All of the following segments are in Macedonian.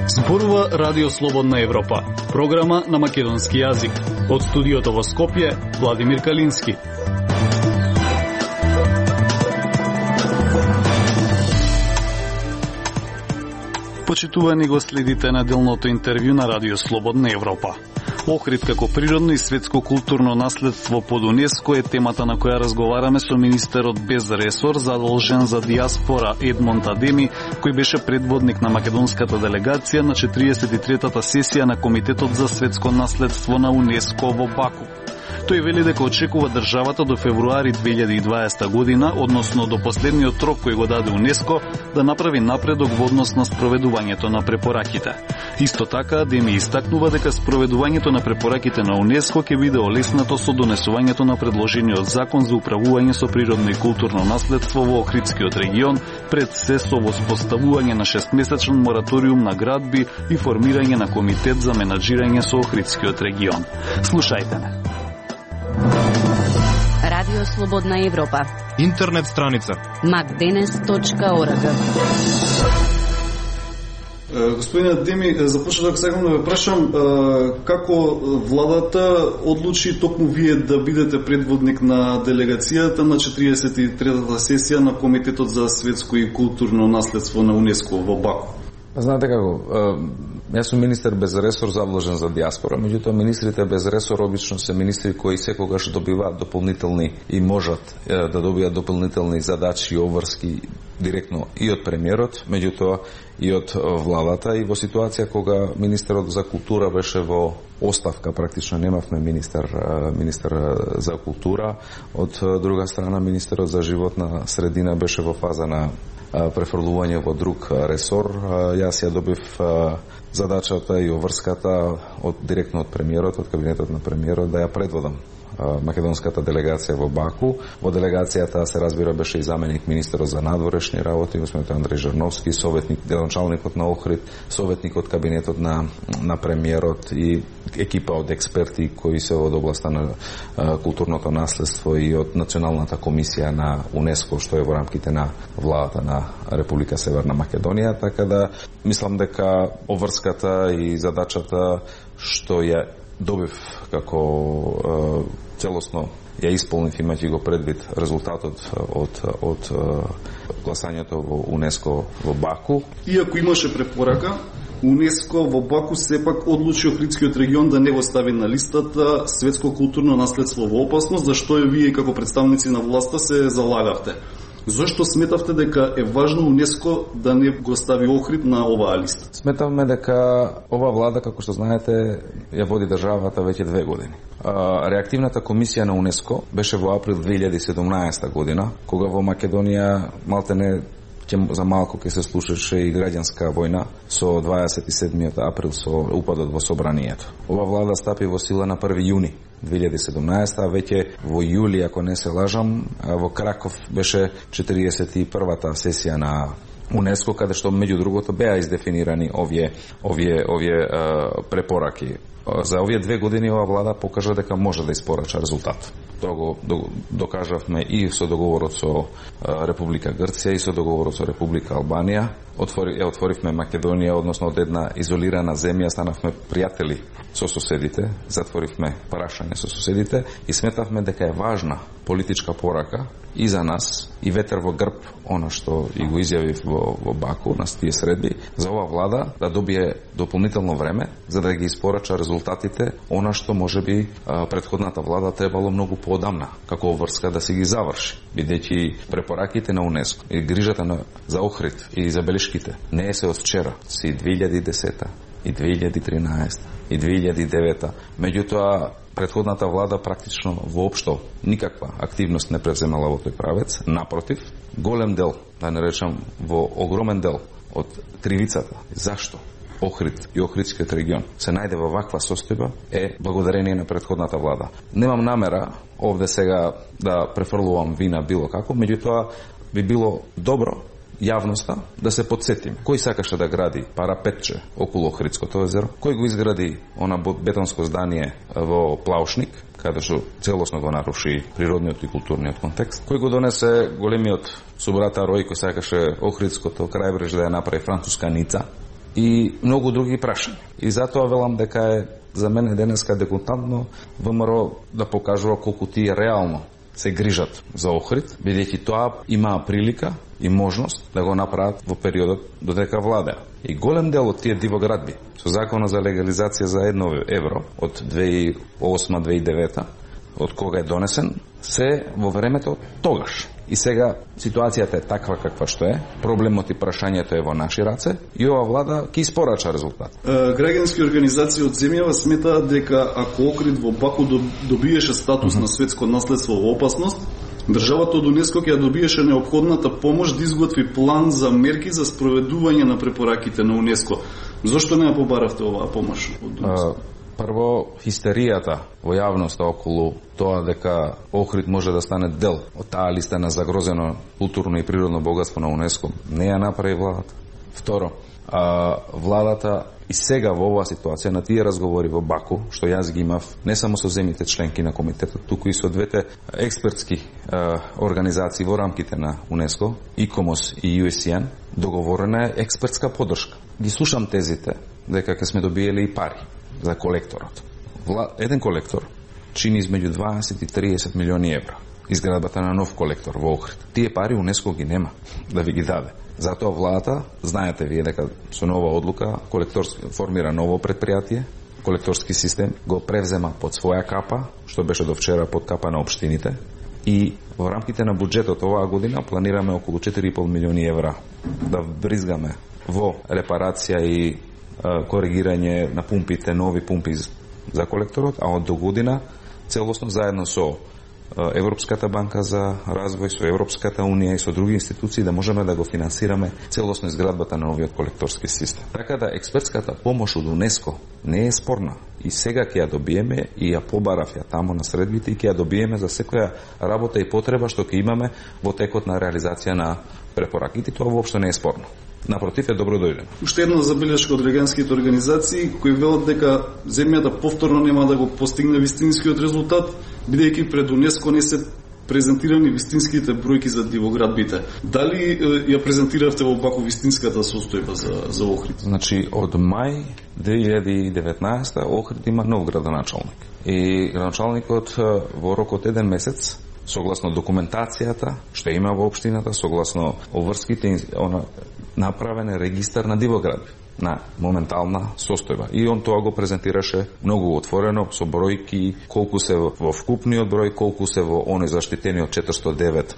Зборува Радио Слободна Европа, програма на македонски јазик. Од студиото во Скопје, Владимир Калински. Почитувани го следите неделното интервју на Радио Слободна Европа. Охрид како природно и светско културно наследство под УНЕСКО е темата на која разговараме со министерот без ресор задолжен за диаспора Едмонд Адеми, кој беше предводник на македонската делегација на 43-та сесија на Комитетот за светско наследство на УНЕСКО во Баку. Тој вели дека очекува државата до февруари 2020 година, односно до последниот рок кој го даде УНЕСКО, да направи напредок во однос на спроведувањето на препораките. Исто така, Адеми истакнува дека спроведувањето на препораките на УНЕСКО ќе биде олеснато со донесувањето на предложениот закон за управување со природно и културно наследство во Охридскиот регион, пред се со воспоставување на 6-месечен мораториум на градби и формирање на комитет за менаџирање со Охридскиот регион. Слушајте ме. Радио Слободна Европа. Интернет страница macdenes.org. Господин Адеми, започнав сакам да ве прашам како владата одлучи токму вие да бидете предводник на делегацијата на 43-та сесија на Комитетот за светско и културно наследство на УНЕСКО во Баку? Знаете како, јас сум министер без ресор задолжен за диаспора, меѓутоа министрите без ресор обично се министри кои секогаш добиваат дополнителни и можат да добијат дополнителни задачи и обврски директно и од премиерот, меѓутоа и од владата, и во ситуација кога министерот за култура беше во оставка, практично немавме министер за култура, од друга страна министерот за животна средина беше во фаза на префрлување во друг ресор. Јас ја добив задачата и обврската директно од премиерот, од кабинетот на премиерот, да ја предводам македонската делегација во Баку. Во делегацијата се разбира беше и заменик министерот за надворешни работи, господин Андреј Жерновски, советник, делоначалникот на Охрид, советник од кабинетот на премиерот и екипа од експерти кои се од областа на културното наследство и од Националната комисија на УНЕСКО, што е во рамките на владата на Република Северна Македонија, така да мислам дека обврската и задачата што ја добив како целосно ја исполнив, имајќи го предвид резултатот од гласањето во УНЕСКО во Баку. Иако имаше препорака, УНЕСКО во Баку сепак одлучи Охридскиот регион да не го стави на листата светско културно наследство во опасност, зашто и вие како представници на власта се залагавте. Зошто сметавте дека е важно УНЕСКО да не го стави Охрид на оваа листа? Сметавме дека ова влада, како што знаете, ја води државата веќе 2 години. Реактивната комисија на УНЕСКО беше во април 2017 година, кога во Македонија малтене за малку ќе се слушаше и граѓанска војна со 27. април со упадот во собранието. Ова влада стапи во сила на 1. јуни 2017, а веќе во јули, ако не се лажам, во Краков беше 41-та сесија на УНЕСКО, каде што меѓу другото беа издефинирани овие препораки. За овие 2 години ова влада покажа дека може да испорача резултат. Тоа го докажавме и со договорот со Република Грција и со договорот со Република Албанија. Отворивме Македонија, односно од една изолирана земја станавме пријатели со соседите, затворивме прашање со соседите и сметавме дека е важна политичка порака и за нас, и ветер во грб, она што и го изјавив во Баку на тие средби, за ова влада да добие дополнително време за да ги испорача резултатите, она што можеби претходната влада требало многу поодамна како обврска да се ги заврши, бидејќи препораките на УНЕСКО и грижата за Охрид и забелешките не се од вчера, си 2010 и 2013 и 2009. Меѓутоа, претходната влада практично воопшто никаква активност не превземала во тој правец. Напротив, голем дел, да не речам во огромен дел од кривицата зашто Охрид и Охридскиот регион се најде во ваква состојба е благодарение на претходната влада. Немам намера овде сега да префрлувам вина било како, меѓутоа би било добро јавноста да се подсетим кој сакаше да гради парапетче околу Охридското езеро, кој го изгради она бетонско здание во Плаушник, каде што целосно го наруши природниот и културниот контекст, кој го донесе големиот субрата Рој, кој сакаше Охридското крајбреж да ја направи француска Ница, и многу други прашања. И затоа велам дека е за мене денеска декутантно ВМРО да покажува колку тие реално се грижат за Охрид, бидејќи тоа имаа прилика и можност да го направат во периодот додека владеа. И голем дел од тие дивоградби со законот за легализација за 1 евро од 2008-2009, од кога е донесен, се во времето тогаш. И сега ситуацијата е таква каква што е, проблемот и прашањето е во наши раце и ова влада ќе испорача резултат. Граѓански организации од земјава сметаат дека ако Охрид во Баку добиеше статус на светско наследство во опасност, државата од УНЕСКО ќе добиеше неопходната помош да изготви план за мерки за спроведување на препораките на УНЕСКО. Зошто не ја побаравте оваа помош од УНЕСКО? Прво, хистеријата во јавноста околу тоа дека Охрид може да стане дел од таа листа на загрозено културно и природно богатство на УНЕСКО не ја направи владата. Второ, владата и сега во оваа ситуација на тие разговори во Баку, што јас ги имав не само со земјите членки на комитетот, туку и со двете експертски организации во рамките на УНЕСКО, ИКОМОС и USN, договорена е експертска поддршка. Ги слушам тезите дека ќе сме добиеле и пари за колекторот. Еден колектор чини измеѓу 20 и 30 милиони евра. Изградбата на нов колектор во Охрид. Тие пари УНЕСКО ги нема да ви ги даде. Затоа владата, знаете вие дека со нова одлука формира ново предпријатие, колекторски систем, го превзема под своја капа, што беше до вчера под капа на општините, и во рамките на буџетот оваа година планираме околу 4,5 милиони евра да бризгаме во репарација и коригирање на пумпите, нови пумпи за колекторот, а од до година целосно заедно со Европската банка за развој, со Европската унија и со други институции да можеме да го финансираме целосно изградбата на новиот колекторски систем. Така да експертската помош од УНЕСКО не е спорна и сега ќе ја добиеме и ја побарав ја тамо на средбите и ќе ја добиеме за секоја работа и потреба што ќе имаме во текот на реализација на препораките. Тоа воопшто не е спорно. Напротив, е добро дојдено. Уште една забелешка од граѓанските организации кои велат дека земјата повторно нема да го постигне вистинскиот резултат, бидејќи пред УНЕСКО не се презентирани вистинските бројки за дивоградбите. Дали ја презентиравте во Баку вистинската состојба за Охрид? Значи, од мај 2019 Охрид има нов градоначалник. И градоначалникот во рок од 1 месец, согласно документацијата што има во општината, согласно обврските, направен е регистар на дивоградби на моментална состојба. И он тоа го презентираше многу отворено, со бројки, колку се во вкупниот број, колку се во оној заштитениот 409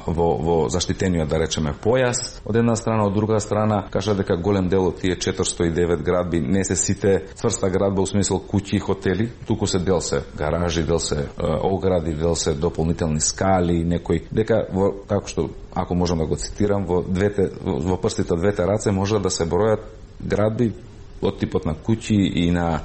во заштитениот, да речеме, појас. Од една страна, од друга страна, кажа дека голем дел од тие 409 градби не се сите цврста градба, у смисол куќи и хотели, туку се дел се гаражи, дел се огради, дел се дополнителни скали, некои, дека како што, ако можам да го цитирам, во прстите од двете раце може да се бројат градби од типот на куќи и на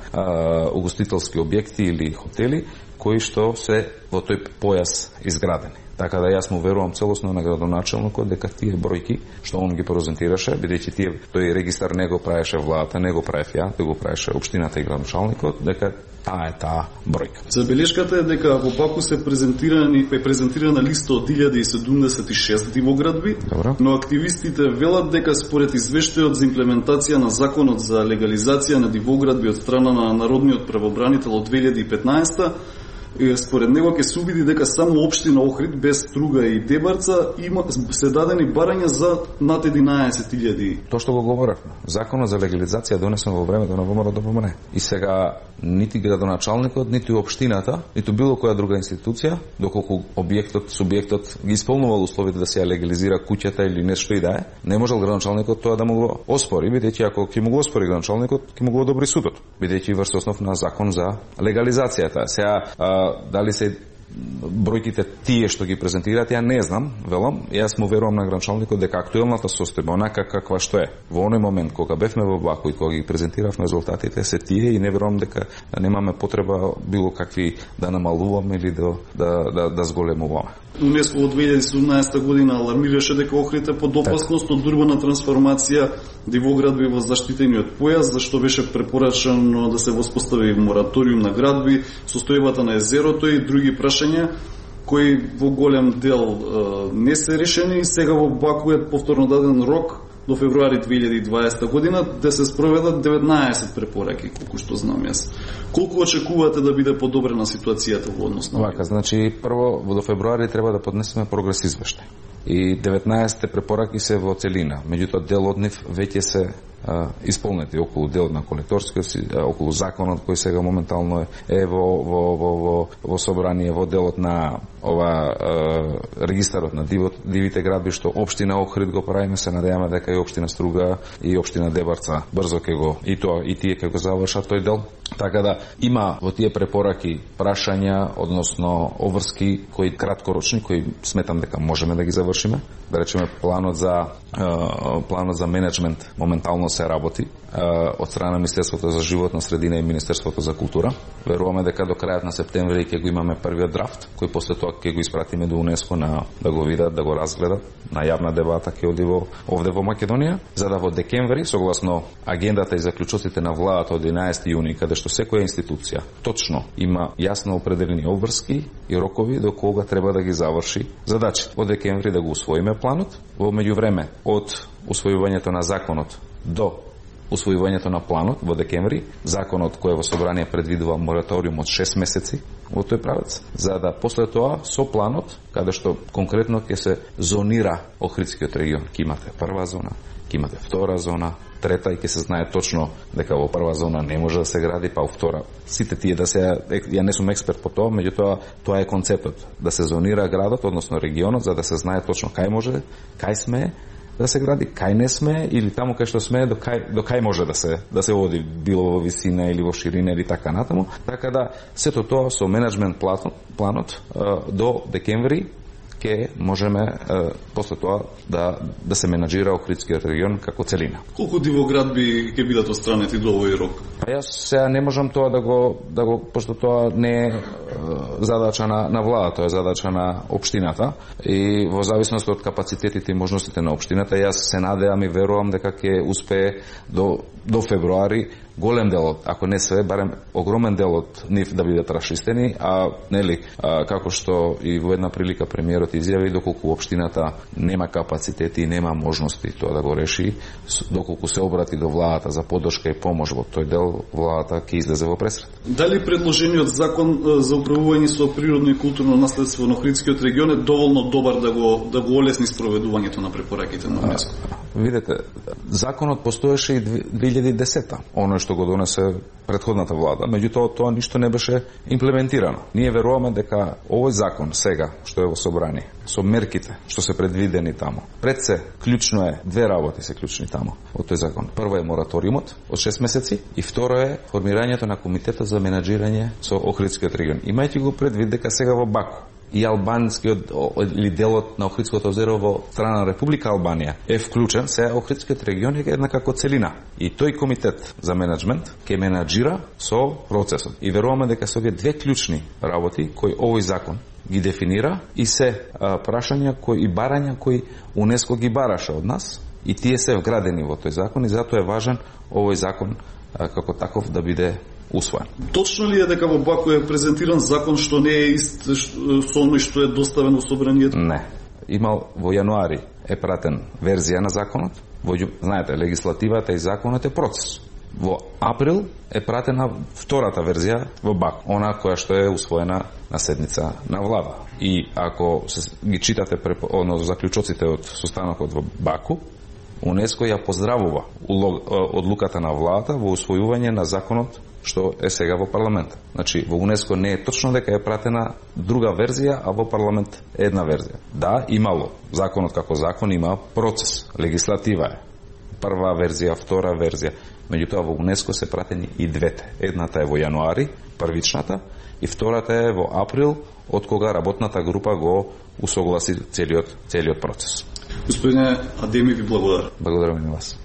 угостителски објекти или хотели кои што се во тој појас изградени. Така да јас му верувам целосно на градоначалникот дека тие бројки што он ги презентираше, бидејќи тој регистар не го правеше владата, не го правев ја, тој го правеше општината и градоначалникот, дека таа е таа бројка. Забелешката е дека во Баку се презентирана листа од 1076 дивоградби, но активистите велат дека според извештајот за имплементација на законот за легализација на дивоградби од страна на Народниот правобранител од 2015, според него ќе се увиди дека само општина Охрид без Струга и Дебарца се дадени барања за над 11.000. Тоа што го говоревме, законот за легализација донесен во времето на ВМРО-ДПМН. И сега нити градоначалникот, нити општината, ниту било која друга институција, доколку субјектот ги исполнувал условите да се ја легализира куќата или нешто и да е, не можел градоначалникот тоа да му го оспори, бидејќи ако ќе му го оспори градоначалникот, ќе му го одобри судот, бидејќи врз основ на закон за легализацијата. Сега дали се бројките тие што ги презентираат, ја не знам, велам, јас му верувам на градоначалникот дека актуелната состојба, онака каква што е, во оној момент кога бевме во Баку и кога ги презентиравме резултатите, се тие и не верувам дека немаме потреба било какви да намалуваме или да зголемуваме. УНЕСКО во 2017 година алармираше дека Охрид е под опасност од урбана трансформација, дивоградби во заштитениот појас, зашто беше препорачано да се воспостави мораториум на градби, состојбата на езерото и други прашања кои во голем дел не се решени. Сега во Баку е повторно даден рок до февруари 2020 година да се спроведат 19 препораки, колку што знам јас. Колку очекувате да биде подобрена ситуацијата во однос на вака? Значи, прво до февруари треба да поднесеме прогрес извештај. И 19 препораки се во целина. Меѓутоа, дел од нив веќе се исполнети, околу дел на колекторскиот, околу законот кој сега моментално е во собрание, во делот на регистарот на дивите градби, што општина Охрид го правиме, се надеваме дека и општина Струга и општина Дебарца брзо ќе го и тие ќе го завршат тој дел. Така да има во тие препораки прашања, односно обврски кои краткорочни, кои сметам дека можеме да ги завршиме. Да речеме планот за менеджмент моментално се работи од страна на Министерството за животна средина и Министерството за култура. Веруваме дека до крајот на септември ќе го имаме првиот драфт, кој после тоа ќе го испратиме до УНЕСКО да го видат, да го разгледат, на јавна дебата ќе оди овде во Македонија, за да во декември, согласно агендата и заклучоците на владата од 11 јуни, каде што секоја институција точно има јасно определени обврски и рокови до кога треба да ги заврши задачи. Во декември да го усвоиме планот, во меѓувреме од усвојувањето на законот до усвојувањето на планот во декември, законот кој во собрание предвидува мораториум од 6 месеци во тој правец, за да после тоа со планот, каде што конкретно ќе се зонира Охридскиот регион, ќе имате прва зона, ќе имате втора зона, трета и ќе се знае точно дека во прва зона не може да се гради, па во втора. Сите тие да се, ја не сум експерт по тоа, меѓутоа тоа е концептот, да се зонира градот, односно регионот, за да се знае точно кај може, кај сме да се гради, кај не сме или таму кај што сме до кај може да се оди, било во висина или во ширина или така натаму. Така да сето тоа со менеджмент планот до декември ќе можеме после тоа да се менаџира Охридскиот регион како целина. Колку дивоградби ќе бидат отстранети до овој рок? Јас сега не можам тоа да го пошто тоа не е задача на владата, тоа е задача на општината и во зависност од капацитетите и можностите на општината, јас се надевам и верувам дека ќе успее до февруари голем дел, ако не све, барем огромен дел од нив да бидат расчистени, како што и во една прилика премиерот изјави, доколку општината нема капацитети и нема можности тоа да го реши, доколку се обрати до владата за поддршка и помош во тој дел, владата ќе излезе во пресрет. Дали предложениот закон за управување со природно и културно наследство на Охридскиот регион е доволно добар да го олесни спроведувањето на препораките на УНЕСКО? Видете, законот постоеше и 2010-та, оно што го донесе претходната влада, меѓутоа тоа ништо не беше имплементирано. Ние веруваме дека овој закон сега, што е во собрание, со мерките што се предвидени таму, пред се клучно е, две работи се клучни таму од тој закон. Прво е мораториумот од 6 месеци и второ е формирањето на комитетот за менаџирање со Охридскиот регион. Имајќи го предвид дека сега во Баку и албанскиот или делот на Охридското озеро во страна на Република Албанија е вклучен, се Охридскиот регион е една како целина. И тој комитет за менеджмент ќе менаџира со процесот. И веруваме дека се овие две клучни работи кои овој закон ги дефинира и се прашања и барања кои УНЕСКО ги бараше од нас и тие се вградени во тој закон и затоа е важен овој закон како таков да биде усвоен. Точно ли е дека во Баку е презентиран закон што не е ист со оној што е доставен во собранието? Не. Имал во јануари е пратен верзија на законот. Знаете, легислативата и законот е процес. Во април е пратена втората верзија во Баку, она која што е усвоена на седница на влада. И ако ги читате заклучоците од состанокот во Баку, УНЕСКО ја поздравува одлуката на владата во усвојување на законот што е сега во парламент. Значи, во УНЕСКО не е точно дека е пратена друга верзија, а во парламент една верзија. Да, имало. Законот како закон има процес. Легислатива е. Прва верзија, втора верзија. Меѓутоа во УНЕСКО се пратени и двете. Едната е во јануари, првичната, и втората е во април, од кога работната група го усогласи целиот процес. Господине Адеми, ви благодарам. Благодарам и на вас.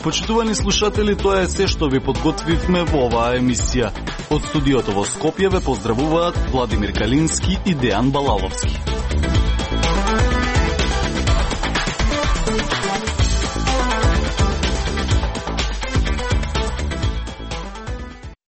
Почитувани слушатели, тоа е се што ви подготвивме во оваа емисија. Од студиото во Скопје ве поздравуваат Владимир Калински и Дејан Балаловски.